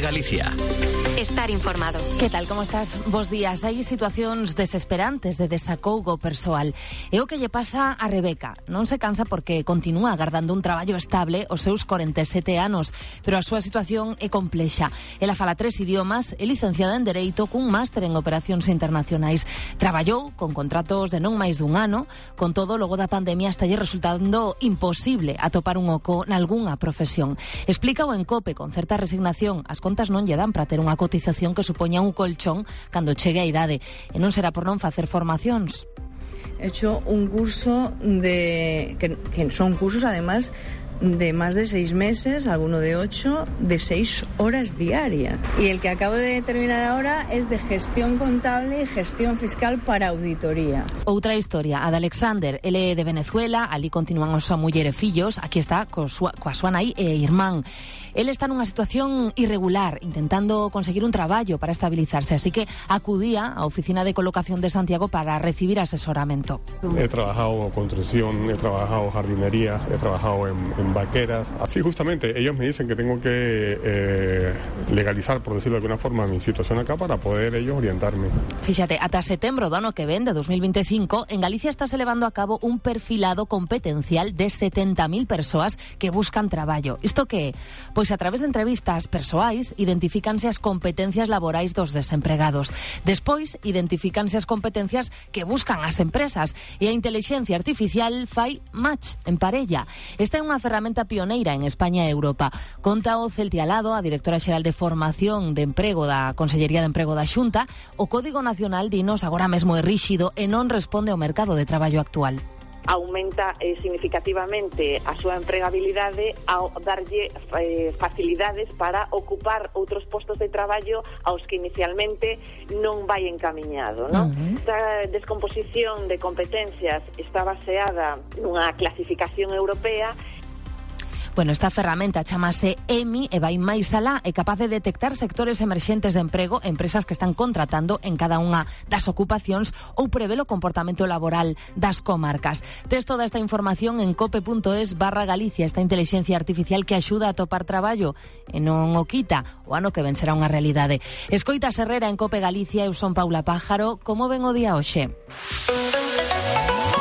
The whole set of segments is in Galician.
COPE Galicia. Estar informado. Que tal, como estás? Bos días. Hai situacións desesperantes de desacougo persoal. É o que lle pasa a Rebeca. Non se cansa porque continúa agardando un traballo estable aos seus 47 anos, pero a súa situación é complexa. Ela fala 3 idiomas, é licenciada en Dereito cun máster en Operacións Internacionais. Traballou con contratos de non máis dun ano, con todo, logo da pandemia está lle resultando imposible atopar un oco nalgunha profesión. Explícao en COPE con certa resignación. As contas non lle dan para ter unha cotización que supoña un colchón cando chegue a idade, e non será por non facer formacións. He hecho un curso que son cursos además de más de 6 meses, alguno de 8, de 6 horas diarias. Y el que acabo de terminar ahora es de gestión contable y gestión fiscal para auditoría. Outra historia, a de Alexander. Ele é de Venezuela, ali continúan a súa muller e fillos, aquí está coa súa nai e irmán. Ele está nunha situación irregular, intentando conseguir un traballo para estabilizarse, así que acudía á oficina de colocación de Santiago para recibir asesoramento. He trabajado construcción, he trabajado jardinería, he trabajado en vaqueras. Así justamente, ellos me dicen que tengo que legalizar, por decirlo de alguna forma, mi situación acá para poder ellos orientarme. Fíxate, ata setembro do ano que ven, de 2025, en Galicia está se levando a cabo un perfilado competencial de 70.000 persoas que buscan traballo. Isto que é? Pois a través de entrevistas persoais identifícanse as competencias laborais dos desempregados. Despois identifícanse as competencias que buscan as empresas e a intelixencia artificial fai match en parella. Esta é unha ferramenta pioneira en España e Europa. Conta o Celtia Alado, a directora xeral de Formación de Emprego da Consellería de Emprego da Xunta. O Código Nacional dinos agora mesmo é ríxido e non responde ao mercado de traballo actual. Aumenta significativamente a súa empregabilidade ao darlle facilidades para ocupar outros postos de traballo aos que inicialmente non vai encamiñado, non? Esta descomposición de competencias está baseada nunha clasificación europea. Bueno, esta ferramenta chamase EMI e vai máis alá, é capaz de detectar sectores emerxentes de emprego, empresas que están contratando en cada unha das ocupacións ou prevé o comportamento laboral das comarcas. Tes toda esta información en cope.es/Galicia, esta inteligencia artificial que axuda a topar traballo e non o quita. O ano que ven será unha realidade. Escoitas Herrera en Cope Galicia, eu son Paula Pájaro. Como ven o día hoxe?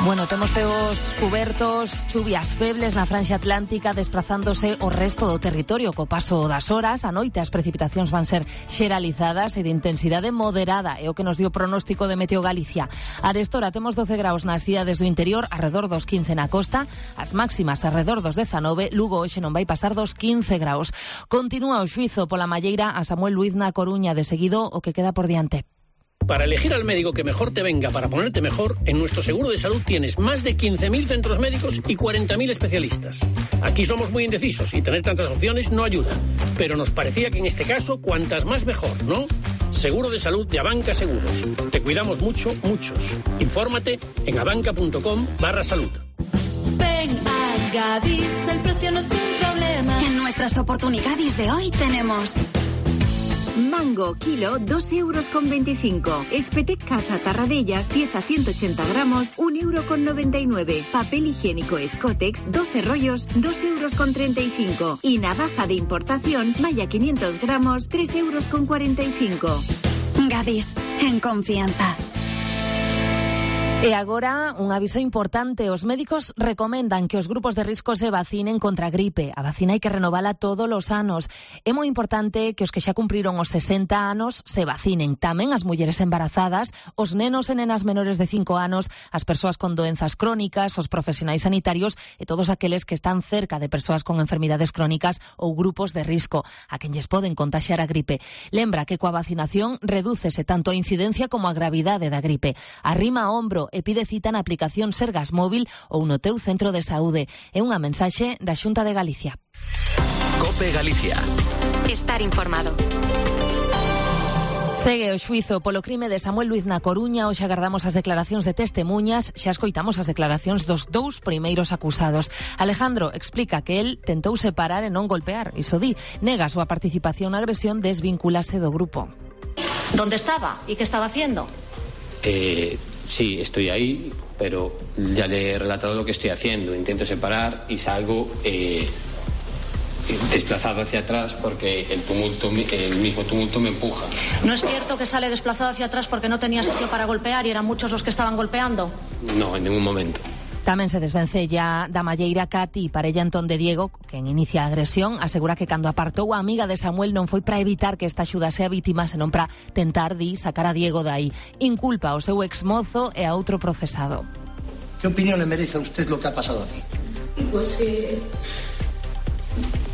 Bueno, temos teos cubertos, chuvias febles na franxa atlántica desprazándose o resto do territorio co paso das horas. A noite as precipitacións van ser xeralizadas e de intensidade moderada, é o que nos dio o pronóstico de Meteo Galicia. Arestora temos 12 graus nas cidades do interior, arredor dos 15 na costa, as máximas arredor dos 19, Lugo hoxe non vai pasar dos 15 graus. Continúa o xuizo pola malleira a Samuel Luiz na Coruña, de seguido o que queda por diante. Para elegir al médico que mejor te venga para ponerte mejor, en nuestro seguro de salud tienes más de 15.000 centros médicos y 40.000 especialistas. Aquí somos muy indecisos y tener tantas opciones no ayuda. Pero nos parecía que en este caso, cuantas más mejor, ¿no? Seguro de salud de Abanca Seguros. Te cuidamos mucho, muchos. Infórmate en abanca.com/salud. Ven a Gadis, el precio no es un problema. En nuestras oportunidades de hoy tenemos... Mango, kilo, 2,25 €. Espetec Casa Tarradellas, pieza 180 gramos, 1,99 €. Papel higiénico Escotex, 12 rollos, 2,35 €. Y navaja de importación, malla 500 gramos, 3,45 €. Gadis, en confianza. E agora, un aviso importante. Os médicos recomendan que os grupos de risco se vacinen contra a gripe. A vacina hai que renovala todos os anos. É moi importante que os que xa cumpriron os 60 anos se vacinen. Tamén as mulleres embarazadas, os nenos e nenas menores de 5 anos, as persoas con doenzas crónicas, os profesionais sanitarios e todos aqueles que están cerca de persoas con enfermidades crónicas ou grupos de risco, a quen lles poden contaxiar a gripe. Lembra que coa vacinación redúcese tanto a incidencia como a gravidade da gripe. Arrima a hombro e pide cita na aplicación Sergas Móvil ou no teu centro de saúde. É unha mensaxe da Xunta de Galicia. COPE Galicia. Estar informado. Segue o xuizo polo crime de Samuel Luiz na Coruña. Hoxe agardamos as declaracións de testemuñas. Xa escoitamos as declaracións dos 2 primeiros acusados. Alejandro explica que el tentou separar e non golpear. Iso di, nega a súa participación na agresión, desvinculase do grupo. ¿Dónde estaba? ¿Y qué estaba haciendo? Sí, estoy ahí, pero ya le he relatado lo que estoy haciendo. Intento separar y salgo desplazado hacia atrás porque el mismo tumulto me empuja. ¿No es cierto que sale desplazado hacia atrás porque no tenía sitio para golpear y eran muchos los que estaban golpeando? No, en ningún momento. Tamén se desvencella da malleira Cati, parella entón de Diego, quen inicia a agresión, asegura que cando apartou a amiga de Samuel non foi para evitar que esta axudase a vítima, senón para tentar sacar a Diego dai. Inculpa ao seu exmozo e a outro procesado. ¿Qué opinión le merece a usted lo que ha pasado aquí? Pues que...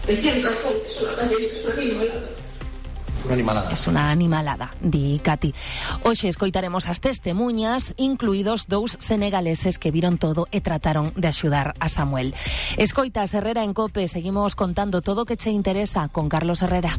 Decían razón, que es una animalada. Una animalada. Es una animalada, di Cati. Hoxe escoitaremos as testemuñas, incluídos 2 senegaleses que viron todo e trataron de axudar a Samuel. Escoitas Herrera en COPE, seguimos contando todo o que che interesa con Carlos Herrera.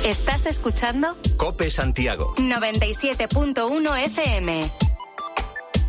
¿Estás escuchando? COPE Santiago 97.1 FM.